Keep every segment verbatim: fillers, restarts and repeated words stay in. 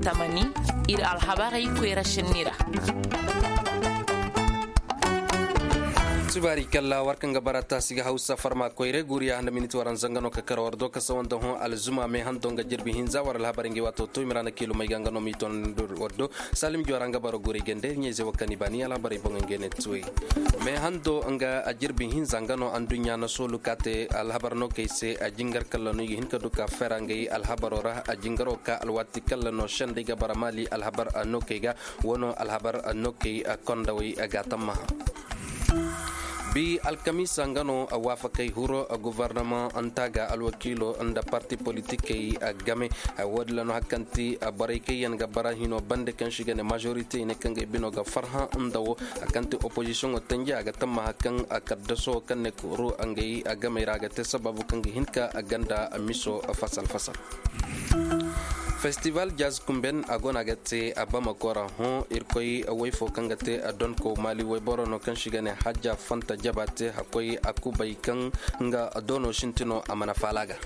Tamani, ir alhabarey koyra šenni ra. Sibaari kalla war kaŋ ga bara taasi ga hawsa farma koyre guuriya nda miniti waranza nga no ka kar war do ka sawa nda hõ alzuma me hando nga jirbi hinza war alhabarey nga i waato to i ma ra na kiilumey ga nga no m'i ton war do. Salim joora nga baro guurey gande ɲayze wo kaŋ i ba ni alhabarey boŋey nga i ne tuwey. Me hando nga jirbi hinza nga no anduɲɲa na soolu ka te alhabar no kay se a jingar kalla no i ga hin ka du ka fera nga i alhabaro ra a jingaro ka alwaati kalla no sendey ga bara maali alhabar no kay ga. Wano alhabar no kay kondawey ga tammaha. Bi alkamiisa nga no waafakey huro gofornamaŋ nta ga alwakiilo nda parti politikey game. Woodin ra no hari kaŋ ti borey kaŋ yaŋ ga bara hino bande kaŋ se i ga ne majorite i ne kaŋ ga i bino ga farhã nda wo hari kaŋ ti opozisiyoŋo tanji a ga tamma hari kaŋ kaddaso kaŋ ne kuru ngey gamey ra a ga te sababu kaŋ ga hin ka ganda miso fasal fasal. Festival jazz kumben a go no a ga te bamako ra hõ irkoy woy fo kaŋ ga te donko maali woyboro no kaŋ se i ga ne hajja fanta jaba te hakkoy a kubay kaŋ nga doono sinti no a mana faala ga.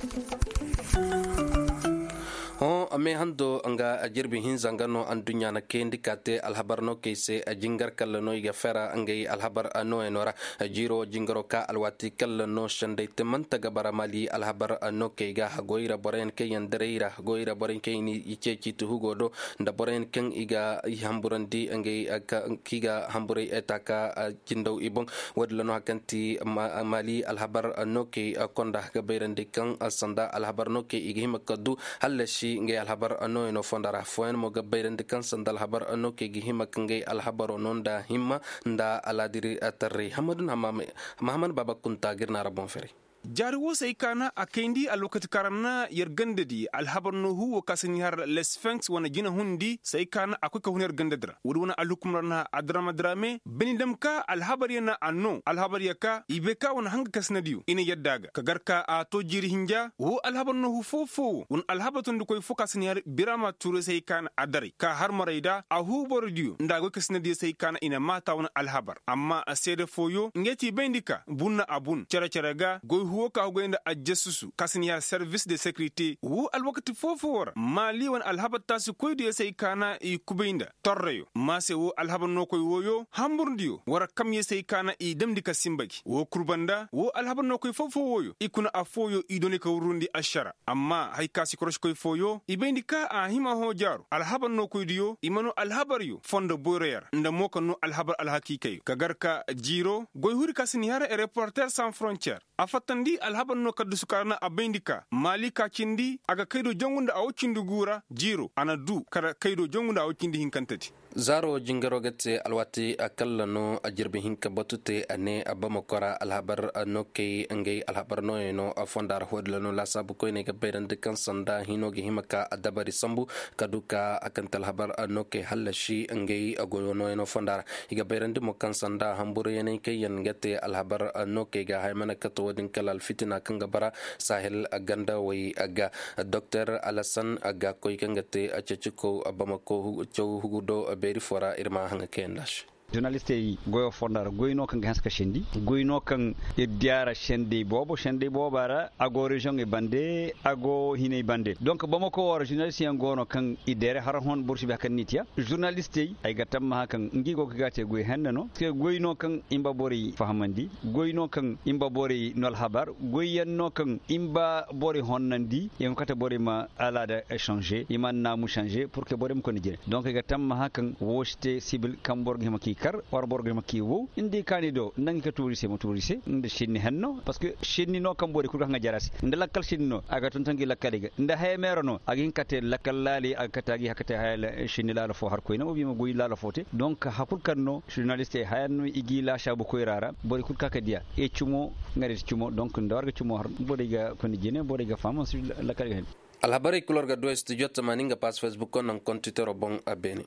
Hõ me hando nga jirbi hinza nga no anduɲɲa na kayandi ka te alhabar no kay se jingar kalla no i ga fera ngey alhabar nooyano ra. Jiiro jingaro ka alwaati kalla no sendey te manta ga bara maali alhabar no kay ga goy ra boroyaŋ kaŋ yaŋ daray ra goy ra boroyaŋ kaŋ yaŋ i ceeci ti hugo do nda boroyaŋ kaŋ i ga i hamburandi ngey kaŋ i ga hamburay eta ka jindaw i boŋ. Woodin ra no hari kaŋ ti maali alhabar no kay konda ga bayrandi kaŋ sanda alhabar no kay i ga hima ka du hallasi ngey alhabar nooyano fonda ra fooyaŋ mo ga bayrandi kaŋ sanda alhabar no kay ga hima ka ngey alhabaro no nda himma nda alaadiri tarray hammadu na mahamad baaba kunta ga ir na ra boŋ fere. Jaari wo se ay kaana a kayndi alwakati kaŋ ra na yer ganda di alhabar no huu wo kaŋ se ni har lesfenks wane jina hundi se ay kaana a koy ka hun yer ganda di ra woodi wane alhukum ra na adrama drame bini dam ka alhabar ya na a no alhabar ya ka i bay ka wane hanga kaŋ se na diyo i na yadda a ga ka gar ka a to jiiri hinja wo alhabar no huu foo foo wo wane alhabar tondikoy foo kaŋ se ni har birama tuuray se ay kaana a daray ka har maray da a huu boro diyo nda a goy kaŋ se na diyo se ay kaana i na maata wane alhabar amma seede fooyo ngey ti bayndi ka bunna a bun cere-cere ga goy huwo ka goy nda ajjasusu kaŋ si ni har servis de sekirite wo alwakati foo-foo ra maali wane alhabar taasikoydiyo se ay kaana i kubay nda torreyo maa se wo alhabar nookoy wooyo hamburdiyo war kamyo se ay kaana i damndi ka sinba gi wo kul banda wo alhabar nookoy foo-foo wooyo i kuna affooyo i dooni ka wurrundi ašara amma haya ka si korosikoy fooyo i bayndi ka a hima hõ jaaru alhabar nookoydiyo i ma noo alhabaryo fondo boyroyo ra nda mo ka noo alhabar alhakiikayyo ka gar ka jiiro goy huri ka si ni har reporter sans frontier a fattandi alhabar noo kaddusu ka ra na a bayndi ka maali ka cindi a ga kaydo jangu nda a wo cindi guu ra jiiro a na duu kala kaydo jangu nda a wo cindi hinkantedi. Zaaro jingaro ga te alwaati kalla no a jirbi hinka batu te a ne a bamako ra alhabar no kay ngey alhabar nooyey no fonda ra hoodila no laasaabu koyney ga bayrandi kaŋ sanda hino ga hima ka a dabari sambu ka du ka a kante alhabar no kay hallasi ngey goyo nooyey no fonda ra i ga bayrandi mo kaŋ sanda hamburu yaney kaŋ yaŋ ga te alhabar no kay ga haya mana kate wo- din kala alfitina kaŋ ga bara sahel ganda wey ga doktor alasan ga koy kaŋ ga te ceciko bamako caw hugu do beeri fo ra ir ma haŋa kayandi a se. Zurnalistey goyo fonda ra goy no kaŋ ga hanse ka sendi goy no kaŋ ir diya ra sendey boobo sendey booba ra a go reziyoŋey bande a go hinay bande donk bamako wo ra zurnalist yaŋ go no kaŋ i deere har hon boro si bay hari kaŋ ni tiya zurnalistey ay ga tammaha kaŋ ngi go ga ga te goy henne no goy no kaŋ i ma ba borey fahamandi goy no kaŋ i ma ba borey no alhabar goy yaŋ no kaŋ i ma ba borey honnandi i ma kate borey ma alaada changer i ma naamu changer pour que borey ma koy nda jine donc i ga tammaha kaŋ woo si te sibil kaŋ boro ga hima k'i kar war boro ga hima k'i wow nda i kaani do nda ngi ka tuuri se ma tuuri se nda sinni henno parce que sinni no kaŋ borey kul ga haŋa jara se nda lakkal sinni no a ga tonton gi lakkaley ga nda haya meera no a ga hin ka te lakkal laali a ga kate a ga hin ka te haya sinni laala fo har koyne wo bi ma goy laala fo te donc hakul kaŋ no zurnalistey haya no i g'i laasaabu koyra ra borey kul ka ka diya e cumo nga da cumo donc nda war ga cumo har borey ga koy nda jine borey ga faham si lakkal ga hin. Alhabarey kul war ga du studio tamaani nga pass facebook naŋ kontitero boŋ a beene.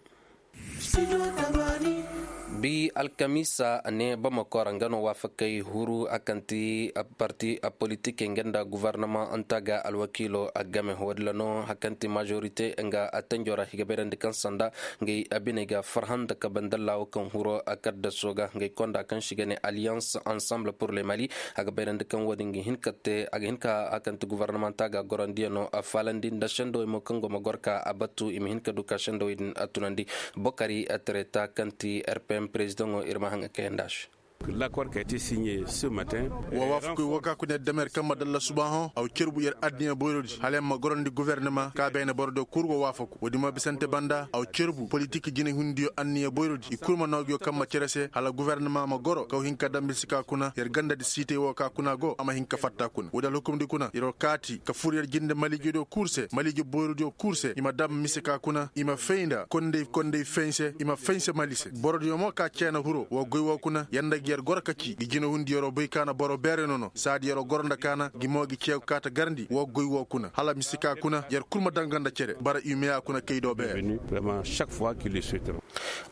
Bi alkamiisa ne bamako ra nga no waafakey huru a kaŋ ti parti politikey nga nda guvarnamanta ga alwakiilo a game, wo- din ra no a kaŋ ti majorite nga a tanjo ra i ga bayrandi kaŋ sanda ngey a biney ga farhã nda kabe nda laawo kaŋ huro a kaddaso ga ngey konda kaŋ se i ga ne alliance ensemble pour le mali. A ga bayrandi kaŋ wo- din ga hin ka te a ga hin ka a kaŋ ti guvarnamanta ga gorandiyano a faalandi nda sendowey mo kaŋ go ma goro ka a batu i ma hin ka du ka sendowey din a tunandi. Bokari a tereta kaŋ ti rpm prezidaŋo ir ma haŋ a kayanda se. Wa waafakoy wo ka kuna yer dama yer kaŋ ma dalla subaahoŋ a wa cerbu yer addiya boyrodi hala yer ma gorandi guvernama ka beene borodiyo kul go waafaku wo-din ma bisante banda a wa cerbu politik jinehundiyo anniya boyrodi i kul ma noo nguyo kaŋ ma cere se hala guvernama ma goro ka wa hin ka dam mise ka kuna yer gandadi siitey wo ka kuna go a ma hin ka fatta kuna wo-din alhukumdi kuna yer wo kaati ka fur yer jinde maliijediyo kul se maliije boyrodiyo kul se i ma dam mise ka kuna i ma fay nda kondey kondey fense i ma fense mali se borodiyo mo ka ceena huro wo goy wo kuna yer nda ga yer goro ka ci gi jinahundiyo yer wo bay kaana boro beere nono saadi yer wo goro nda kaana gi mo gi ceegu kaata garndi wo goy wo kuna hala mise ka kuna yer kul ma danga nda cere bara imeya kuna kay do beere.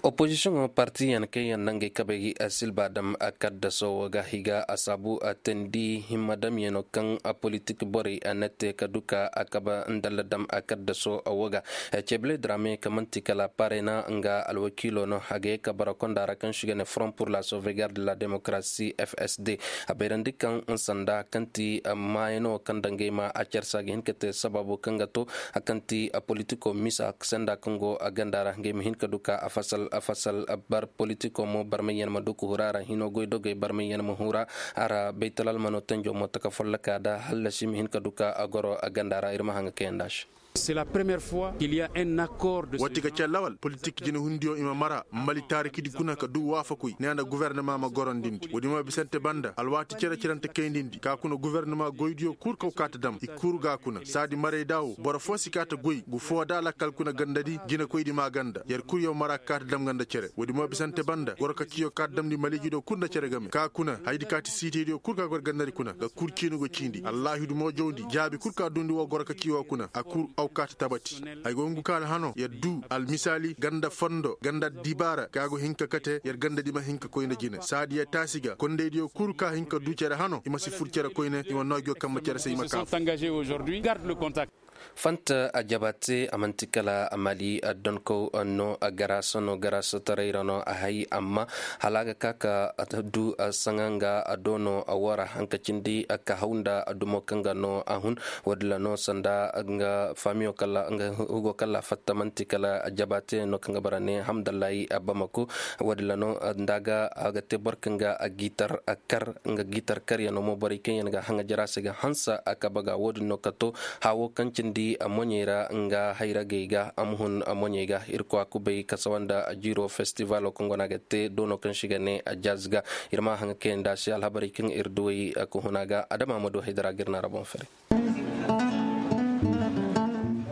Opozisiyoŋo partiyaŋ kaŋ yaŋ na ngey kabey silba dam kaddaso wo ga higa a saabu teendi himma damyaŋo kaŋ politik borey na te ka du ka a kabe ndalla dam kaddaso wo ga. Ceebile dira me kaŋ man'ti kala parena nga alwakiilo no a ga ye ka bara konda ra kaŋ se i ga ne front pour la sauvegarde de la démocratie fsd a bayrandi kaŋ sanda kaŋ ti maayaŋo kaŋ dangey ma a carsa ga hin ka te sababo kaŋ ga to a kaŋ ti politiko misa senda kaŋ go a ganda ra ngey ma hin ka du ka a fasal a fasal bar politiko mo barmayyaŋ ma du ka hura ra hino goydogey barmayyaŋ ma hura a ra baytalalmano tanjo mo taka folloka da hallasi ma hin ka du ka a goro a ganda ra ir ma haŋ ga kayanda se. Wati ga callawal politik jinahundiyo i ma mara mali taarikidi kuna ka du waafakoy ne a nda guvernama ma gorondindi woodi ma bisante banda alwaati cere-cerante kayndindi ka kuna guvernama goydiyo kul kaw kaata dam i kul ga kuna saadi maray da wo boro foo si kaata goy gu foo da lakkal kuna gandadi jinekoydi ma ganda yer kul yaw mara ka kaata dam nga nda cere woodi ma bisante banda goro ka ciyo kaata damndi maliijidiyo kul nda cere game ka kuna hayadi kaati siitaydiyo kul ka gor gandadi kuna ga kul ciini go ciindi allaahidu mo jawndi jaabi kul ka duundi woo goro ka ci woo kuna a kul aw kaata tabati. Ay go ngu kaala hano yer duu almisaali ganda fondo ganda dibaara ka go hin ka kate yer gandadi ma hin ka koy nda jine saadi yer taasi ga kondaydiyo kul ka hin ka duu cere hano i ma si fur cere koyne i ma noo ngiyo kambe cere se i ma kaa. Fanta a jabaate a man'ti kala a mali a donkow no a garaasa no garaasa taray ra no a hay amma hala a ga ka ka du a saŋa nga a doono a woo ra hanka cindi a ka haw nda a dumo kaŋ ga no a hun. Woodin ra no sanda nga faamiyo kala nga hugo kala fatta man'ti kala a jabaate no kaŋ ga bara ne hamdallahi a bamako. Woodin ra no nda a ga a ga te boro kaŋ ga a giitar a kar nga giitar karyaŋo mo borey kaŋ yaŋ ga haŋa jara se ga hanse a kabe ga woodin no ka to. Haawo kaŋ cindi a moɲey ra nga hayragey ga a ma hun a moɲey ga irkoy a kubay kasawa nda jiiro festivalo kaŋ go no a ga te doono kaŋ se i ga ne a jaz ga. Ir ma haŋa kayandi a se alhabarey kaŋ ir duwey ka hun a ga adama ma du haydara ga ir na ra boŋ fere.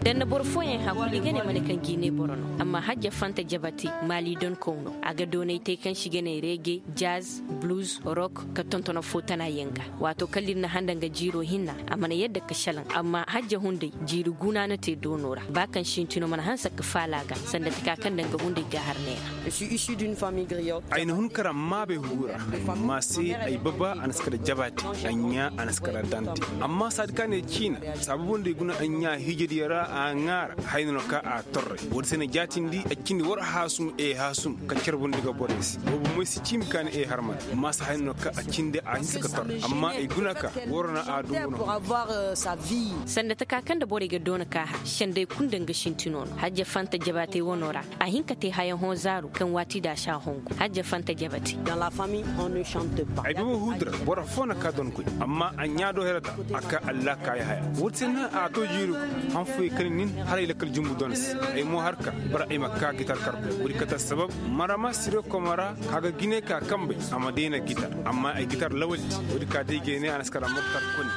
Da na boro fooyaŋ hakuli ga ne mana kaŋ jiine boro no amma hajja fanta jabate maali donkow no a ga doonay te kaŋ se i ga ne reege jaz, blues, rock, ka tonton foo tana yaŋ ga. Waato kala ir na handa nga jiiro hinna a mana yadda ka salaŋ amma hajja hunday jiiri guna na te doono ra ba kaŋ sintino mana hanse ka faala a ga sanda taka kaŋ nda nga hunday gaahar neera. Ay na hun kara maabay hugu ra. Amma se ay baba a na si kala jabaate a ɲaa a na si kala dante. Amma saadi ka ne ciina saabu boŋ day guna a ɲaa hiijadiyo ra a ŋaara. Hayna no ka a torray woodi se na jaatindi a cindi war haasum e haasum ka carbundi ga borey se boobo moy si ciimi ka ni e harman. Amma se hayna no ka a cindi a hinse ka torray amma ay guna ka war na a dumbu no. Sanda taka kaŋ nda borey ga doona ka har senday kulu nda nga sintino no hajja fanta jabaatey wano ra. A hin ka te hayaŋ hõ zaaru kaŋ waati da a si a hongu hajja fanta jabate. Ay baba huudura boro foo na ka donkoy amma a ɲaa do herata a ka allaa kaayi haya. Woodi se na a to jiiri hanfoy kaŋ nin haray lakkal jumbu don se. Ay mo har ka bara ay ma ka gitar karkoy woodi kate assabab marama sire komara ka ga jine ka kambey a ma deena gitar. Amma ay gitar lawaldi woodi ka day ga ay ne a na si kala moktar koni.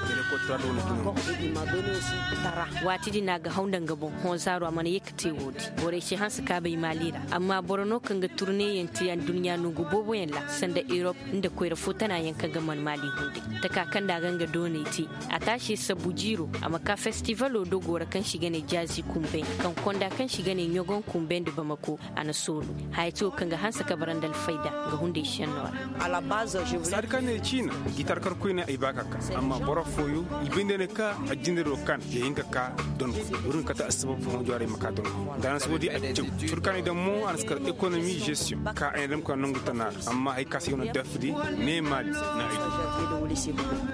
Waati din a ga haw nda nga boŋ hõ zaaru a mana ye ka te woodi. Borey si hanse kaabay maali ra amma boro no kaŋ ga turneyaŋ te aduɲɲa nongu booboyaŋ ra sanda erop nda koyra foo tana yaŋ kaŋ ga man maali hunday. Taka kaŋ nda a ga nga doonay te a taasi sabbu jiiro a ma ka festivalo dogo ra kaŋ se i ga Ne jaazi kumbay kaŋ konda kaŋ se i ga ne ɲogon kumbay nda bamako, a na sooru. Haya ti wo kaŋ ga hanse ka bara nda alfayda nga hunday šennoo ra. Saadi kaŋ ne ciina gitar kar koyne ay ba ka ka. Amma boro fooyo i bay nda ne ka a jinde do kan ya hin ka ka donko. Wurin kate assabab fo hõ jwaaray ma ka donko. Nda a na si wo di a caw. Cur kaŋ i daŋ mo a na si kar ekonomi gestion ka ay na daŋ ka nangu tana ra. Amma hay ka si ga no dafdi ne maali na ay.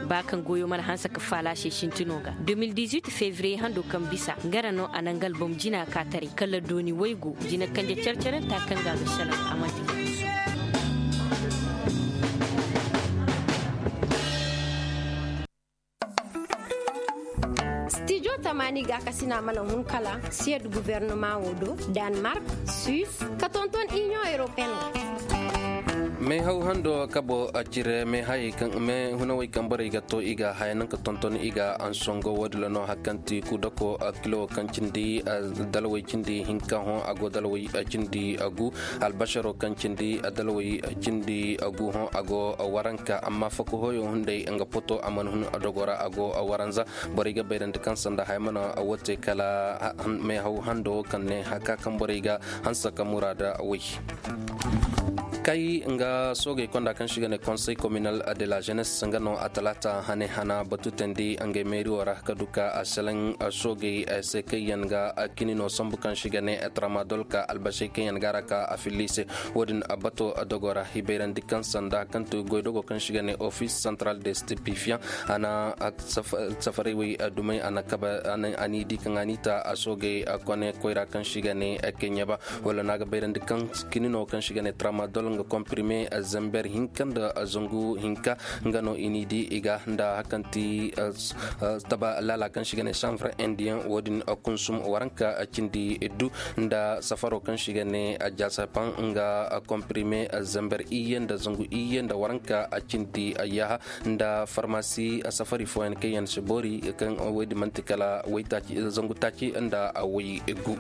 Ba kaŋ goyo mana hanse ka faala se sintino ga. Deux mille dix-huit février hando kaŋ bisa nga ra no a na nga albom jina ka taray kala dooni waygu jina kanje care-carenta kaŋ ga a ga selaŋ a manti ga bisa. Stijo tamaani ga kasina mana hun kala siyad guvernama wo do, danmark, suis, ka tonton inion europeen ga. Meehaw hando kabo a cire meehayey kaŋ meehunawey kaŋ borey ga to i ga haya naŋ ka tonton i ga ansongo wo- din ra no hari kaŋ ti kudako kilo kaŋ cindi dalawey cindi hinka hõ a go dalawey cindi gu. Albasaro kaŋ cindi dalawey cindi gu hõ a go waranka amma fakuhoyo hunday nga poto a mana hun dogo ra a go waranza. Borey ga bayrandi kaŋ sanda haya mana wo te kala meehaw hando kaŋ ne haka kaŋ borey ga hanse ka muraada way. Kay nga soogey konda kaŋ se i ga ne konsey kominal de la jenes nga no a talaata hane hana batu teendi ngey meeriyo ra ka du ka a selaŋ soogey se kaŋ yaŋ ga kini no sambu kaŋ se i ga ne tramadol ka albasey kaŋ yaŋ ga a ra ka a filli i se. Wo- din bato dogo ra i bayrandi kaŋ sanda kaŋ ti goydogo kaŋ se i ga ne office central de stipifian a na safaray wey dumey a na kaba a n'i di kaŋ a n'i ta a soogey kone koyra kaŋ se i ga ne keɲeba. Wala no a ga bayrandi kaŋ kini no kaŋ se i ga ne tramadol nga komprime zamber hinka nda zangu hinka. Nga no i n'i di i ga nda hari kaŋ ti taba laala kaŋ se i ga ne sanfre indian wo- din kunsum waranka cindi du nda safaro kaŋ se i ga ne jasapan nga komprime zamber iyye nda zangu iyye nda waranka cindi yaaha nda farmasi safari fooyaŋ kaŋ yaŋ si boori kaŋ woy din man'ti kala zangu taaci nda woy gu.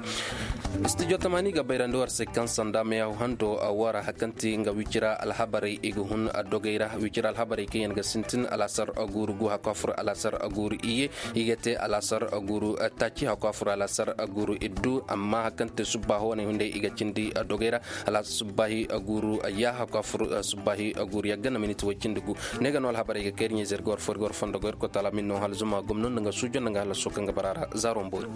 Studio tamaani ga bayrandi war se kaŋ sanda meehaw hando war hari kaŋ ti nga wicira alhabarey i ga hun dogey ra wicira alhabarey kaŋ yaŋ ga sintin alaasar guuru gu hakku a fur alaasar guuru iyye. I ga te alaasar guuru taaci hakku a fur alaasar guuru iddu amma hari kaŋ te subbaaho wane hunday i ga cindi dogey ra. Alaasar subbaahi guuru yaaha hakku a fur subbaahi guuru yagga na miniti way cindi gu. Ne ga no alhabarey ga kay iri ɲayze ir ga war fo ir ga war fondo go ir koy taala min no hala zuma gomno nda nga suujo nda nga hala soo kaŋ ga bara ra zaaro mboori.